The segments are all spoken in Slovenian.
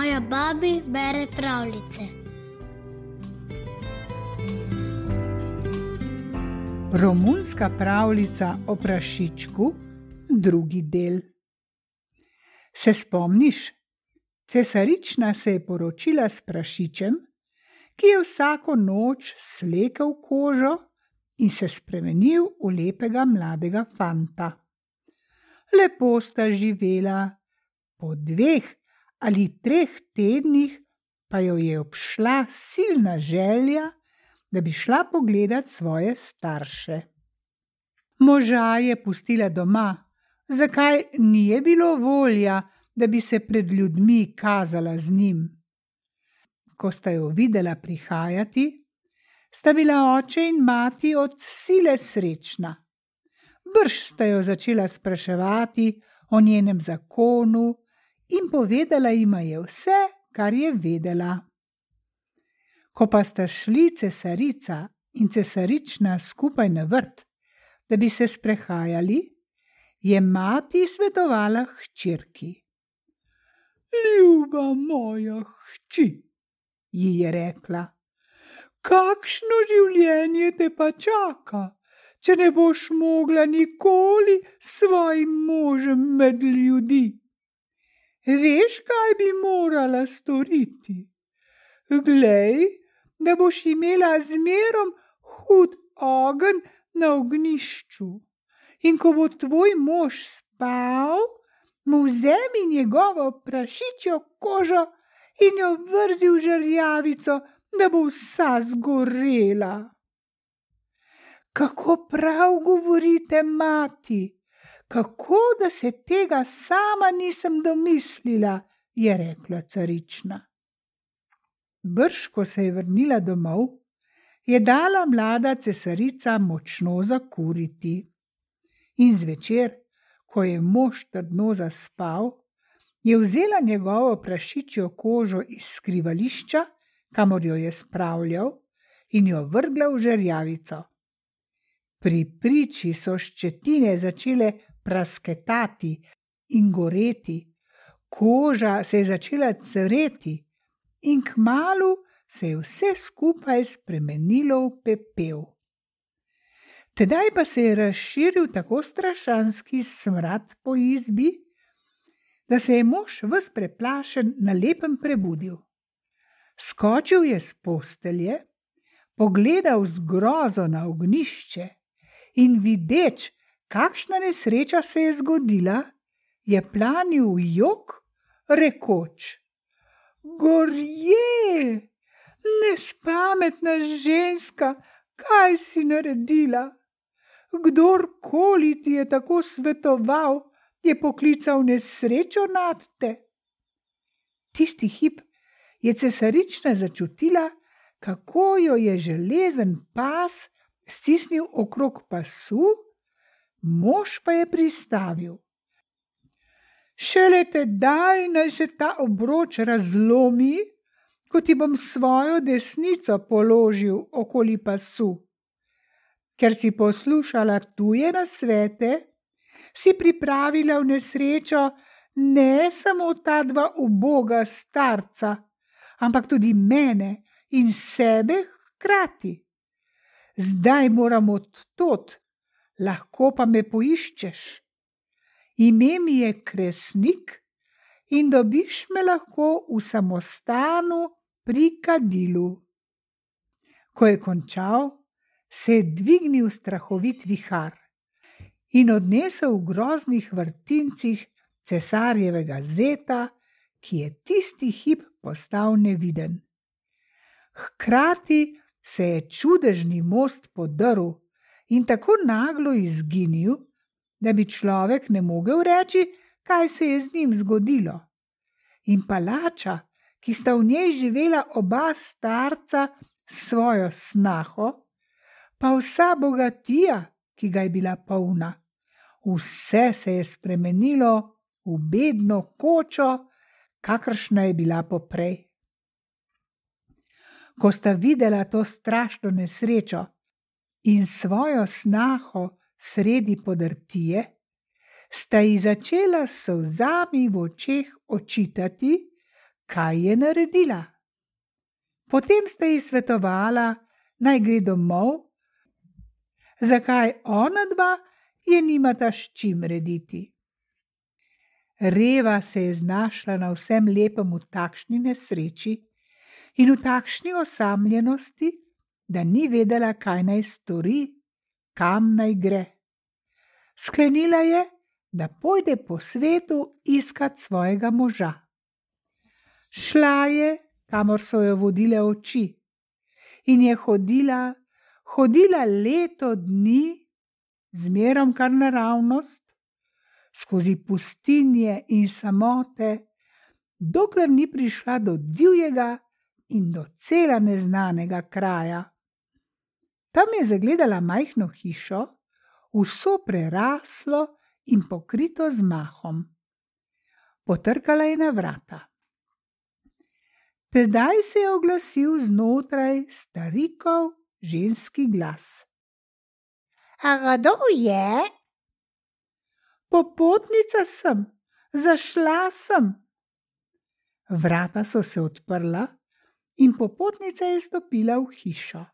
Moja babi bere pravljice. Romunska pravljica o prašičku, drugi del. Se spomniš? Cesarična se je poročila s prašičem, ki je vsako noč slekel kožo in se spremenil v lepega mladega fanta. Lepo sta živela, po 2 ali 3 tednih pa jo je obšla silna želja, da bi šla pogledat svoje starše. Moža je pustila doma, zakaj ni je bilo volja, da bi se pred ljudmi kazala z njim. Ko sta jo videla prihajati, sta bila oče in mati od sile srečna. Brž sta jo začela spraševati o njenem zakonu in povedala jima je vse, kar je vedela. Ko pa sta šli cesarica in cesarična skupaj na vrt, da bi se sprehajali, je mati svetovala hčerki. Ljuba moja hči, ji je rekla, kakšno življenje te pa čaka, če ne boš mogla nikoli s svojim možem med ljudi. Veš, kaj bi morala storiti? Glej, da boš imela zmerom hud ogenj na ognjišču, in ko bo tvoj mož spal, mu vzemi njegovo prašičjo kožo in jo vrzi v žerjavico, da bo vsa zgorela. Kako prav govorite, mati, kako da se tega sama nisem domislila, je rekla carična. Brž, ko se je vrnila domov, je dala mlada cesarica močno zakuriti. In zvečer, ko je mož trdno zaspal, je vzela njegovo prašičjo kožo iz skrivališča, kamor jo je spravljal, in jo vrgla v žerjavico. Pri priči so ščetine začele prasketati in goreti, koža se je začela cvreti in kmalu se je vse skupaj spremenilo v pepel. Tedaj pa se je razširil tako strašanski smrad po izbi, da se je mož ves preplašen na lepem prebudil. Skočil je s postelje, pogledal z grozo na ognjišče in videč, kakšna nesreča se je zgodila, je planil v jok, rekoč: Gorje, nespametna ženska, kaj si naredila? Kdorkoli ti je tako svetoval, je poklical nesrečo nad te. Tisti hip je cesarična začutila, kako jo je železen pas stisnil okrog pasu, mož pa je pristavil. Šele tedaj naj se ta obroč razlomi, ko ti bom svojo desnico položil okoli pasu. Ker si poslušala tuje nasvete, si pripravila v nesrečo ne samo ta 2 uboga starca, ampak tudi mene in sebe hkrati. Zdaj moram odtod, lahko pa me poiščeš. Ime mi je Kresnik in dobiš me lahko v samostanu pri kadilu. Ko je končal, se je dvignil strahovit vihar in odnesel v groznih vrtincih cesarjevega zeta, ki je tisti hip postal neviden. Hkrati se je čudežni most podrl in tako naglo izginil, da bi človek ne mogel reči, kaj se je z njim zgodilo. In palača, ki sta v njej živela oba starca s svojo snaho, pa vsa bogatija, ki ga je bila polna, vse se je spremenilo v bedno kočo, kakršna je bila poprej. Ko sta videla to strašno nesrečo in svojo snaho sredi podrtije, sta ji začela s solzami v očeh očitati, kaj je naredila. Potem sta ji svetovala, naj gre domov, zakaj ona dva je nimata s čim rediti. Reva se je znašla na vsem lepem v takšni nesreči in v takšni osamljenosti, da ni vedela, kaj naj stori, kam naj gre. Sklenila je, da pojde po svetu iskat svojega moža. Šla je, kamor so jo vodile oči, in je hodila leto dni, zmerom kar naravnost, skozi pustinje in samote, dokler ni prišla do divjega in do cela neznanega kraja. Tam je zagledala majhno hišo, vso preraslo in pokrito z mahom. Potrkala je na vrata. Tedaj se je oglasil znotraj starikov ženski glas. A kdo je? Popotnica sem, zašla sem. Vrata so se odprla in popotnica je stopila v hišo.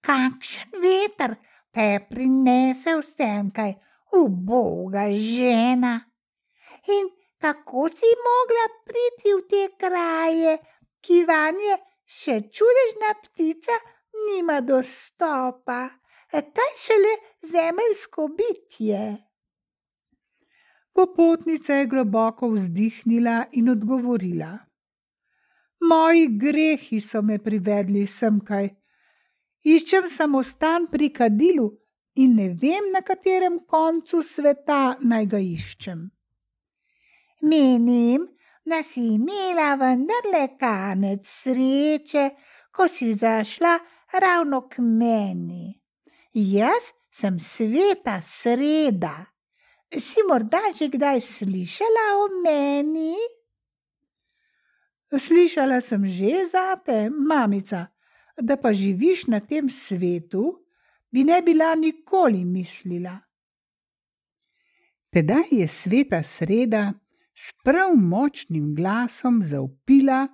Kakšen veter te je prinesel semkaj, uboga žena? In kako si mogla priti v te kraje, ki vanje še čudežna ptica nima dostopa, kaj šele zemeljsko bitje? Popotnica je globoko vzdihnila in odgovorila. Moji grehi so me privedli semkaj. Iščem samostan pri kadilu in ne vem, na katerem koncu sveta naj ga iščem. Menim, da si imela vendarle kanec sreče, ko si zašla ravno k meni. Jaz sem Sveta Sreda. Si morda že kdaj slišala o meni? Slišala sem že zate, mamica, da pa živiš na tem svetu, bi ne bila nikoli mislila. Tedaj je Sveta Sreda s prav močnim glasom zavpila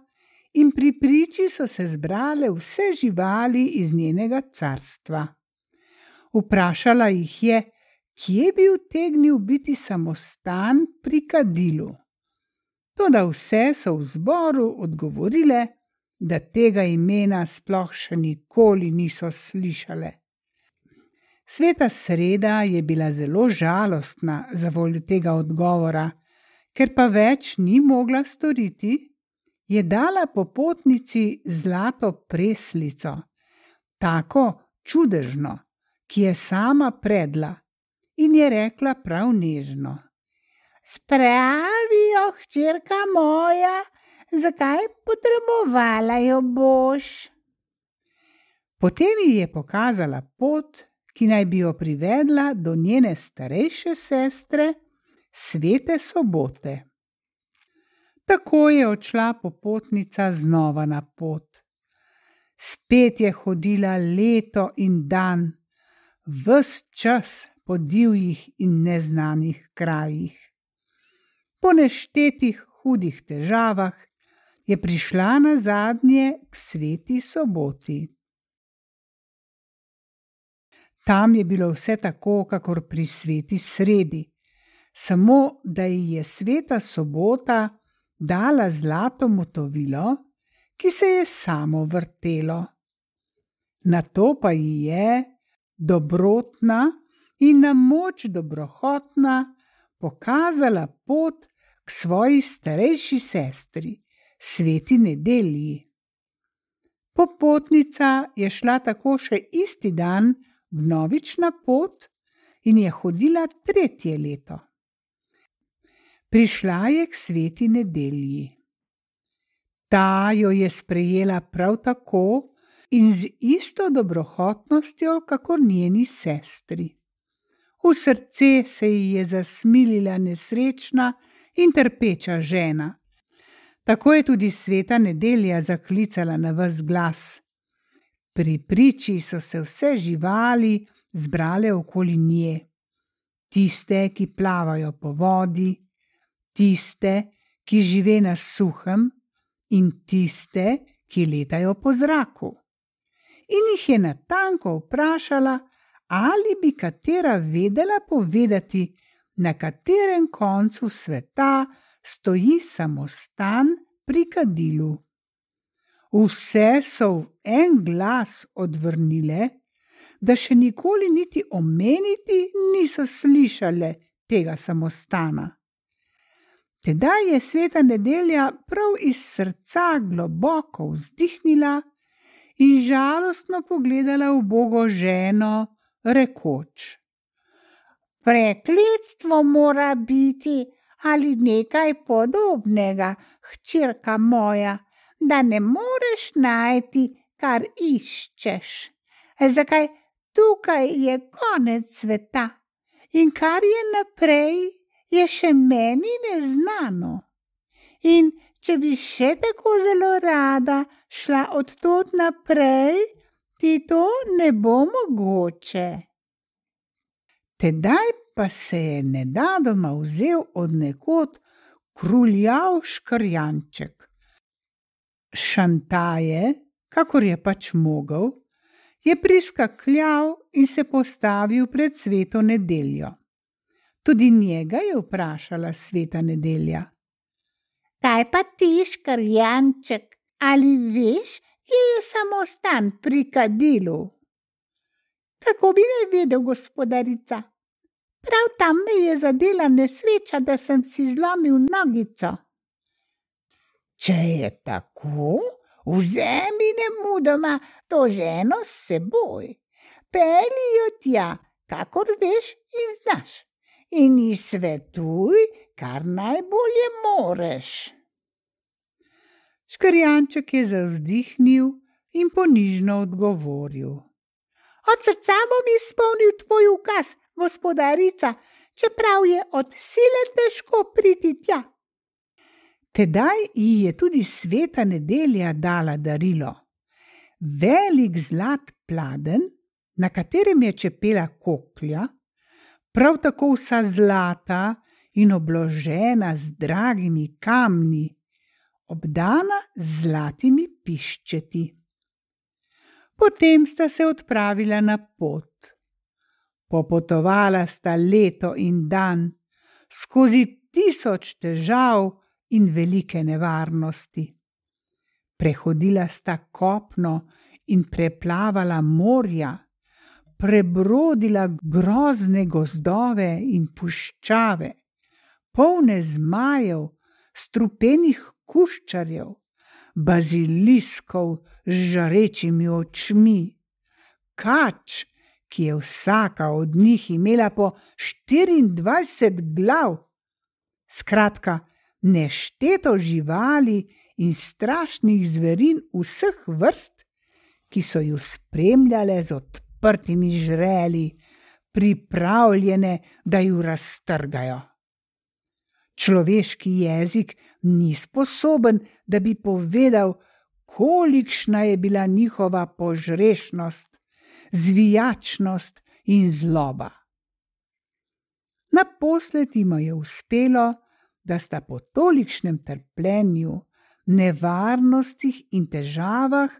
in pri priči so se zbrale vse živali iz njenega carstva. Vprašala jih je, kje bi utegnil biti samostan pri kadilu. Toda vse so v zboru odgovorile, da tega imena sploh še nikoli niso slišale. Sveta Sreda je bila zelo žalostna zavoljo tega odgovora, ker pa več ni mogla storiti, je dala popotnici zlato preslico, tako čudežno, ki je sama predla, in je rekla prav nežno. Spravi jo, hčerka moja, zakaj potrebovala jo boš? Potem ji je pokazala pot, ki naj bi jo privedla do njene starejše sestre, Svete Sobote. Tako je odšla popotnica znova na pot. Spet je hodila leto in dan, ves čas po divjih in neznanih krajih. Po neštetih hudih težavah je prišla nazadnje k Sveti Soboti. Tam je bilo vse tako, kakor pri Sveti Sredi, samo da ji je Sveta Sobota dala zlato motovilo, ki se je samo vrtelo. Nato pa ji je, dobrotna in na moč dobrohotna, pokazala pot k svoji starejši sestri, Sveti Nedelji. Popotnica je šla tako še isti dan vnovič na pot in je hodila 3. leto. Prišla je k Sveti Nedelji. Ta jo je sprejela prav tako in z isto dobrohotnostjo, kakor njeni sestri. V srce se ji je zasmilila nesrečna in trpeča žena. Tako je tudi Sveta Nedelja zaklicala na ves glas. Pri priči so se vse živali zbrale okoli nje. Tiste, ki plavajo po vodi, tiste, ki žive na suhem, in tiste, ki letajo po zraku. In jih je natanko vprašala, ali bi katera vedela povedati, na katerem koncu sveta stoji samostan pri kadilu. Vse so v en glas odvrnile, da še nikoli niti omeniti niso slišale tega samostana. Tedaj je sveta Nedelja prav iz srca globoko vzdihnila in žalostno pogledala ubogo ženo, rekoč: Prekletstvo mora biti ali nekaj podobnega, hčerka moja, da ne moreš najti, kar iščeš. Zakaj tukaj je konec sveta in kar je naprej, je še meni neznano. In če bi še tako zelo rada šla od tod naprej, ti to ne bo mogoče. Tedaj pa se je nenadoma vzel od nekod kruljav škrjanček. Šantaje, kakor je pač mogel, je priskakljal in se postavil pred sveto Nedeljo. Tudi njega je vprašala sveta Nedelja: Kaj pa ti, škrjanček, ali veš, kje je samostan pri kadilu? Kako bi ne vedel, gospodarica? Prav tam me je zadela nesreča, da sem si zlomil nogico. Če je tako, vzemi nemudoma to ženo s seboj. Pelji jo tja, kakor veš in znaš, in ji svetuj, kar najbolje moreš. Škrjanček je zavzdihnil in ponižno odgovoril: Od srca bom izpolnil tvoj ukaz, gospodarica, čeprav je od sile težko priti tja. Tedaj ji je tudi sveta Nedelja dala darilo: velik zlat pladenj, na katerem je čepela koklja, prav tako vsa zlata in obložena z dragimi kamni, obdana z zlatimi piščeti. Potem sta se odpravila na pot. Popotovala sta leto in dan, skozi 1000 težav in velike nevarnosti. Prehodila sta kopno in preplavala morja, prebrodila grozne gozdove in puščave, polne zmajev, strupenih kuščarjev, baziliskov z žarečimi očmi, kač, ki je vsaka od njih imela po 24 glav. Skratka, nešteto živali in strašnih zverin vseh vrst, ki so ju spremljale z odprtimi žreli, pripravljene, da ju raztrgajo. Človeški jezik ni sposoben, da bi povedal, kolikšna je bila njihova požrešnost, zvijačnost in zloba. Naposled jima je uspelo, da sta po tolikšnem trpljenju, nevarnostih in težavah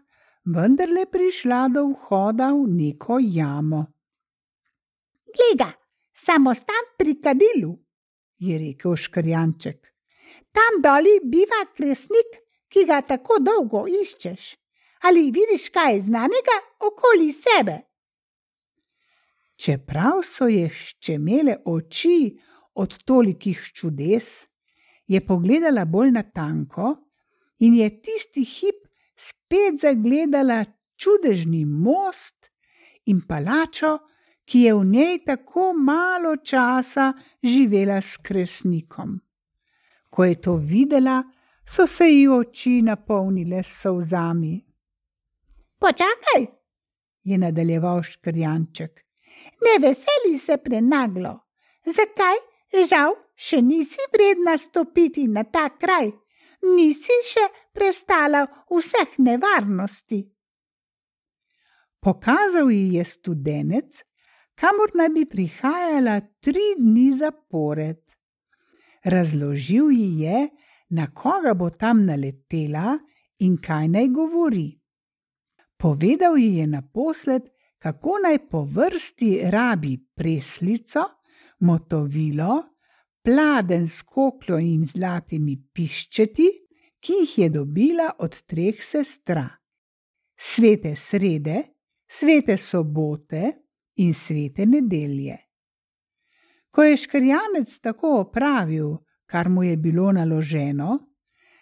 vendarle prišla do vhoda v neko jamo. Gleda, samostan pri kadilu, je rekel škrjanček. Tam doli biva kresnik, ki ga tako dolgo iščeš. Ali vidiš kaj znanega okoli sebe? Čeprav so je ščemele oči od tolikih čudes, je pogledala bolj natanko in je tisti hip spet zagledala čudežni most in palačo, ki je v njej tako malo časa živela s kresnikom. Ko je to videla, so se ji oči napolnile s solzami. Počakaj, je nadaljeval škrjanček. Ne veseli se prenaglo. Zakaj? Žal, še nisi vredna stopiti na ta kraj. Nisi še prestala vseh nevarnosti. Pokazal ji je studenec, kamor naj bi prihajala 3 dni zapored. Razložil ji je, na koga bo tam naletela in kaj naj govori. Povedal ji je naposled, kako naj po vrsti rabi preslico, motovilo, pladenj s kokljo in zlatimi piščeti, ki jih je dobila od 3 sestra: svete srede, svete sobote in svete nedelje. Ko je škrjanec tako opravil, kar mu je bilo naloženo,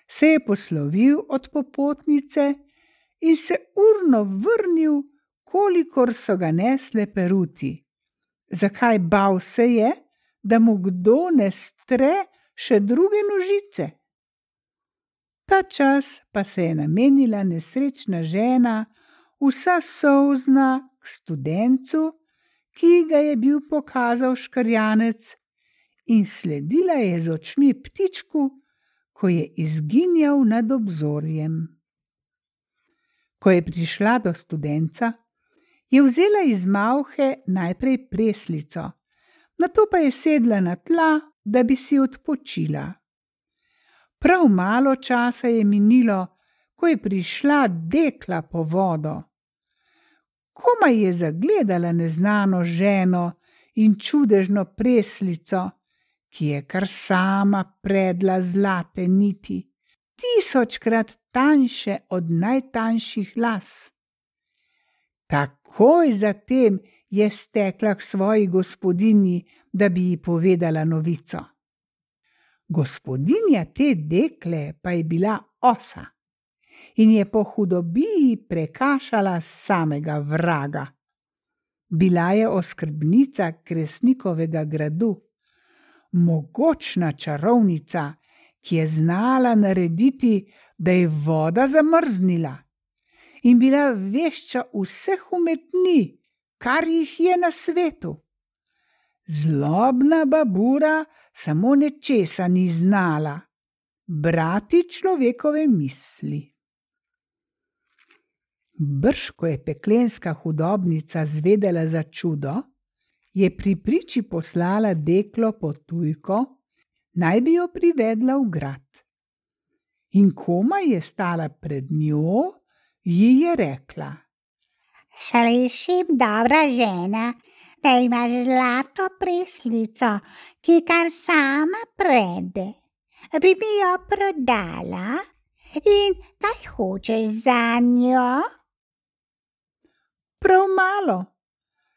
se je poslovil od popotnice in se urno vrnil, kolikor so ga nesle peruti. Zakaj bal se je, da mu kdo ne stre še druge nožice? Ta čas pa se je namenila nesrečna žena, vsa solzna, k studencu, ki ga je bil pokazal škrjanec, in sledila je z očmi ptičku, ko je izginjal nad obzorjem. Ko je prišla do studenca, je vzela iz malhe najprej preslico, nato pa je sedla na tla, da bi si odpočila. Prav malo časa je minilo, ko je prišla dekla po vodo. Komaj je zagledala neznano ženo in čudežno preslico, ki je kar sama predla zlate niti, 1000-krat tanjše od najtanjših las. Takoj zatem je stekla k svoji gospodinji, da bi ji povedala novico. Gospodinja te dekle pa je bila osa in je po hudobiji prekašala samega vraga. Bila je oskrbnica Kresnikovega gradu, mogočna čarovnica, ki je znala narediti, da je voda zamrznila, in bila vešča vseh umetnin, kar jih je na svetu. Zlobna babura samo nečesa ni znala: brati človekove misli. Brž ko je peklenska hudobnica zvedela za čudo, je pri priči poslala deklo po tujko, naj bi jo privedla v grad. In komaj je stala pred njo, ji je rekla: Slišim, dobra žena, da imaš zlato preslico, ki kar sama prede. Bi mi jo prodala in kaj hočeš za njo? Prav malo,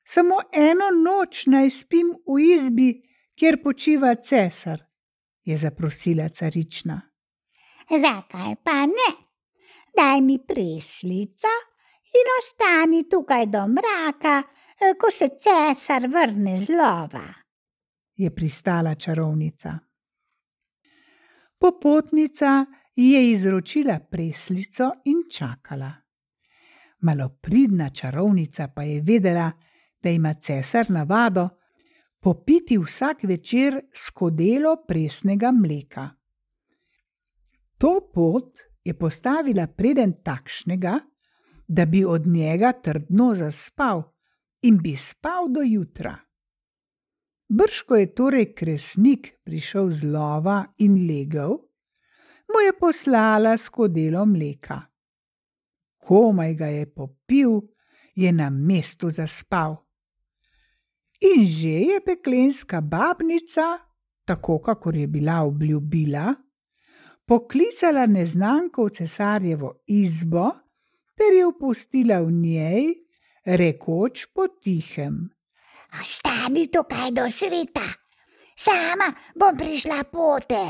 samo eno noč naj spim v izbi, kjer počiva cesar, je zaprosila carična. Zakaj pa ne? Daj mi preslico in ostani tukaj do mraka, ko se cesar vrne z lova, je pristala čarovnica. Popotnica ji je izročila preslico in čakala. Malopridna čarovnica pa je vedela, da ima cesar navado popiti vsak večer skodelo presnega mleka. To pot je postavila preden takšnega, da bi od njega trdno zaspal in bi spal do jutra. Brž ko je torej Kresnik prišel z lova in legel, mu je poslala skodelo mleka. Komaj ga je popil, je na mestu zaspal. In že je peklenska babnica, tako kakor je bila obljubila, poklicala neznanko v cesarjevo izbo ter jo pustila v njej, rekoč potihem: Ostani tukaj do sveta, sama bom prišla pote.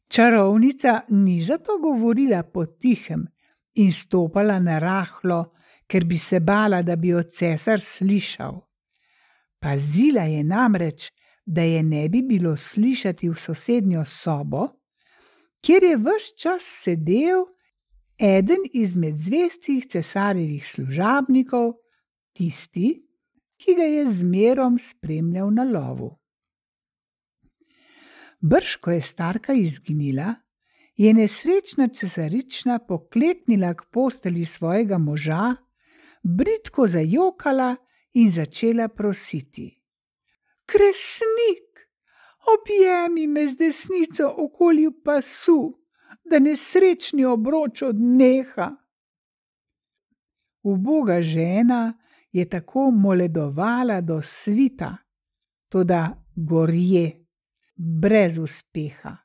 Čarovnica ni zato govorila potihem in stopala narahlo, ker bi se bala, da bi jo cesar slišal. Pazila je namreč, da je ne bi bilo slišati v sosednjo sobo, kjer je ves čas sedel eden izmed zvestih cesarjevih služabnikov, tisti, ki ga je zmerom spremljal na lovu. Brž ko je starka izginila, je nesrečna cesarična pokleknila k postelji svojega moža, bridko zajokala in začela prositi: Kresnik, Objemi me z desnico okoli pasu, da nesrečni obroč odneha. Uboga žena je tako moledovala do svita, toda gorje, brez uspeha.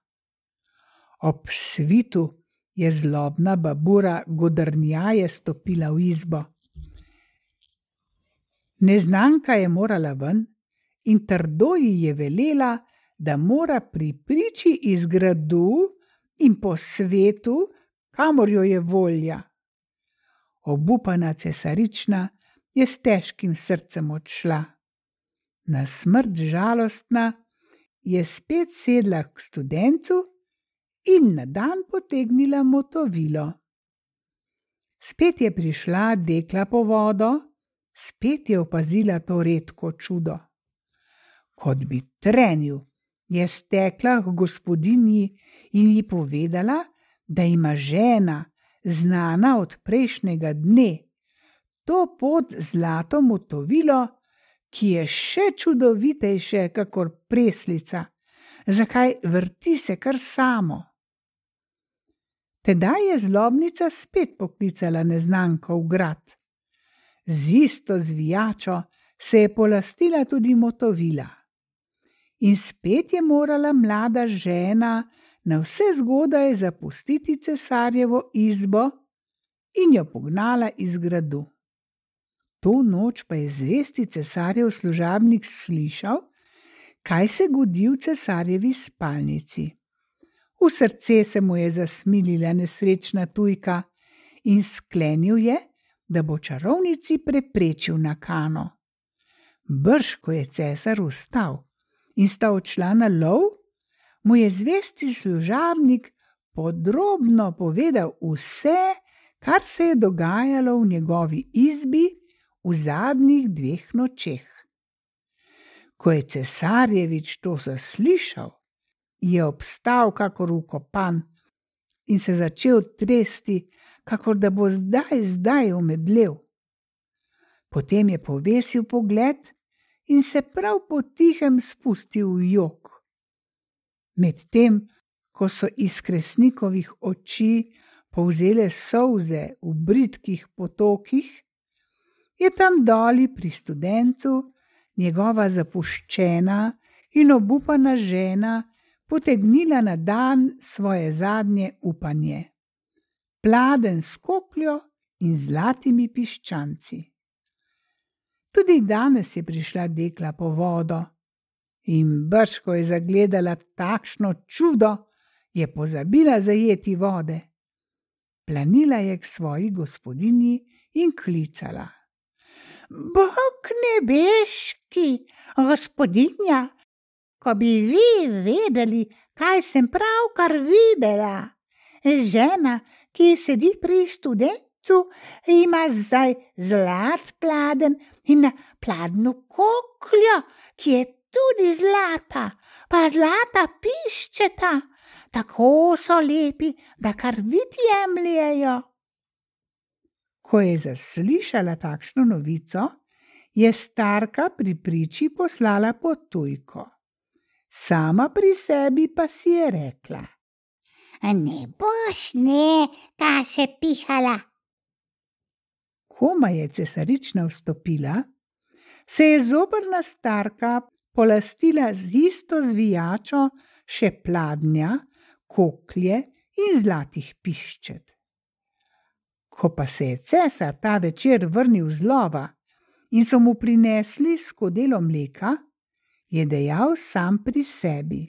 Ob svitu je zlobna babura godrnjaje stopila v izbo. Neznanka je morala ven in trdo ji je velela, da mora pri priči iz gradu in po svetu, kamor jo je volja. Obupana cesarična je s težkim srcem odšla. Na smrt žalostna je spet sedla k studencu in na dan potegnila motovilo. Spet je prišla dekla po vodo, spet je opazila to redko čudo. Kot bi trenil, je stekla k gospodinji in ji povedala, da ima žena, znana od prejšnjega dne, to pod zlato motovilo, ki je še čudovitejše kakor preslica, zakaj vrti se kar samo. Tedaj je zlobnica spet poklicala neznanko v grad. Z isto zvijačo se je polastila tudi motovila. In spet je morala mlada žena na vse zgodaj zapustiti cesarjevo izbo in jo pognala iz gradu. To noč pa je zvesti cesarjev služabnik slišal, kaj se godi v cesarjevi spalnici. V srce se mu je zasmilila nesrečna tujka in sklenil je, da bo čarovnici preprečil nakano. Brž ko je cesar vstal in sta odšla na lov, mu je zvesti služabnik podrobno povedal vse, kar se je dogajalo v njegovi izbi v zadnjih 2 nočeh. Ko je cesarjevič to zaslišal, je obstal kakor vkopan in se začel tresti, kakor da bo zdaj omedlel. Potem je povesil pogled in se prav potihem spustil v jok. Medtem, ko so iz Kresnikovih oči povzele solze v bridkih potokih, je tam doli pri studencu njegova zapuščena in obupana žena potegnila na dan svoje zadnje upanje. Pladenj s kokljo in zlatimi piščanci. Tudi danes je prišla dekla po vodo in brž ko je zagledala takšno čudo, je pozabila zajeti vode. Planila je k svoji gospodinji in klicala. Bog nebeški, gospodinja, ko bi vi vedeli, kaj sem pravkar videla. Žena, ki sedi pri studencu, ima zdaj zlat pladenj in na pladnju kokljo, ki je tudi zlata, pa zlata piščeta, tako so lepi, da kar vid jemljejo. Ko je zaslišala takšno novico, je starka pri priči poslala po tujko. Sama pri sebi pa si je rekla. Ne boš kaše pihala. Koma je cesarična vstopila, se je zoprna starka polastila z isto zvijačo še pladnja, koklje in zlatih piščet. Ko pa se je cesar ta večer vrnil z lova in so mu prinesli skodelo mleka, je dejal sam pri sebi.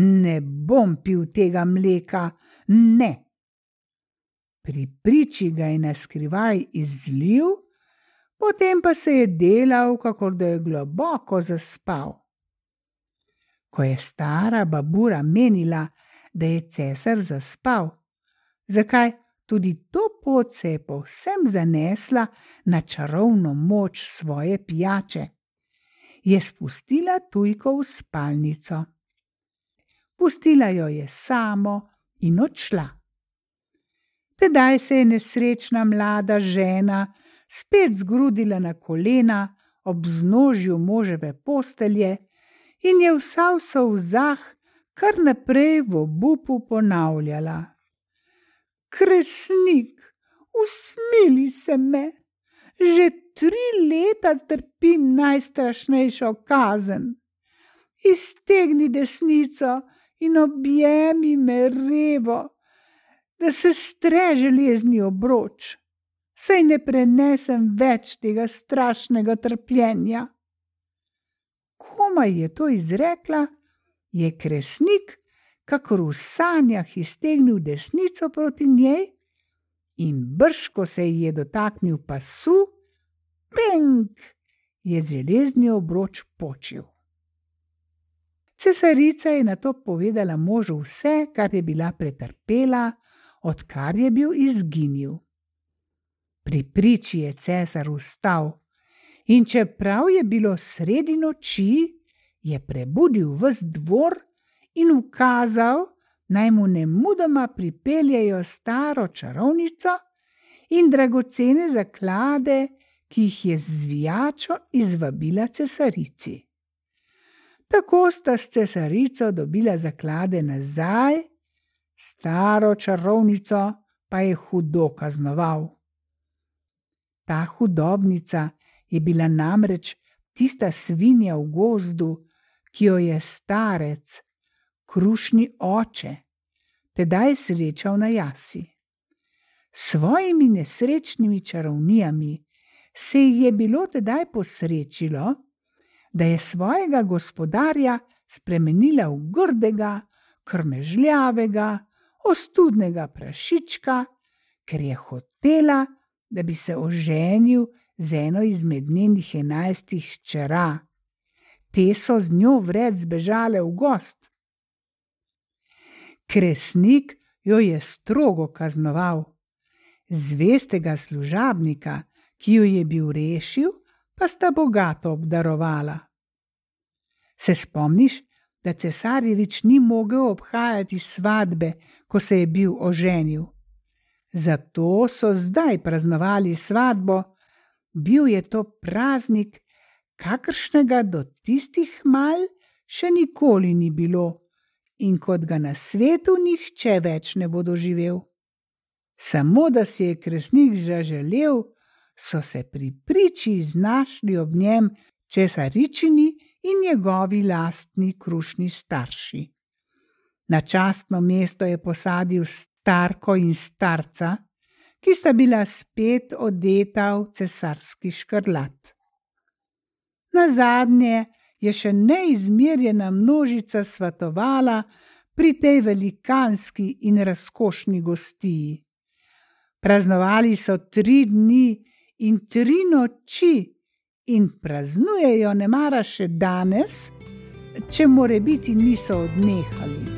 Ne bom pil tega mleka, ne. Pri priči ga je naskrivaj izlil, potem pa se je delal, kakor da je globoko zaspal. Ko je stara babura menila, da je cesar zaspal, zakaj tudi to pot se je povsem zanesla na čarovno moč svoje pijače, je spustila tujko v spalnico. Pustila jo je samo in odšla. Tedaj se je nesrečna mlada žena spet zgrudila na kolena ob vznožju moževe postelje in je vsa v solzah kar naprej v obupu ponavljala: Kresnik, usmili se me, že 3 leta trpim najstrašnejšo kazen. Iztegni desnico in objemi me revo, da se stre železni obroč, saj ne prenesem več tega strašnega trpljenja. Komaj je to izrekla, je Kresnik kakor v sanjah iztegnil desnico proti njej in brž ko se ji je dotaknil pasu, penk, je železni obroč počil. Cesarica je nato povedala možu vse, kar je bila pretrpela, odkar je bil izginil. Pri priči je cesar vstal in čeprav je bilo sredi noči, je prebudil ves dvor in ukazal, naj mu nemudoma pripeljejo staro čarovnico in dragocene zaklade, ki jih je z zvijačo izvabila cesarici. Tako sta s cesarico dobila zaklade nazaj, staro čarovnico pa je hudo kaznoval. Ta hudobnica je bila namreč tista svinja v gozdu, ki jo je starec, krušni oče, tedaj srečal na jasi. S svojimi nesrečnimi čarovnijami se ji je bilo tedaj posrečilo, da je svojega gospodarja spremenila v grdega, krmežljavega, ostudnega prašička, ker je hotela, da bi se oženil z eno izmed njenih 11 hčera. Te so z njo vred zbežale v gozd. Kresnik jo je strogo kaznoval. Zvestega služabnika, ki jo je bil rešil, pa sta bogato obdarovala. Se spomniš, da cesarjevič ni mogel obhajati svadbe, ko se je bil oženil? Zato so zdaj praznovali svadbo. Bil je to praznik, kakršnega do tistih mal še nikoli ni bilo in kot ga na svetu nihče več ne bo doživel. Samo da si je Kresnik zaželel, so se pri priči znašli ob njem cesaričini in njegovi lastni krušni starši. Na častno mesto je posadil starko in starca, ki sta bila spet odeta v cesarski škrlat. Nazadnje je še neizmerjena množica svatovala pri tej velikanski in razkošni gostiji. Praznovali so 3 dni in 3 noči in praznujejo nemara še danes, če morebiti niso odnehali.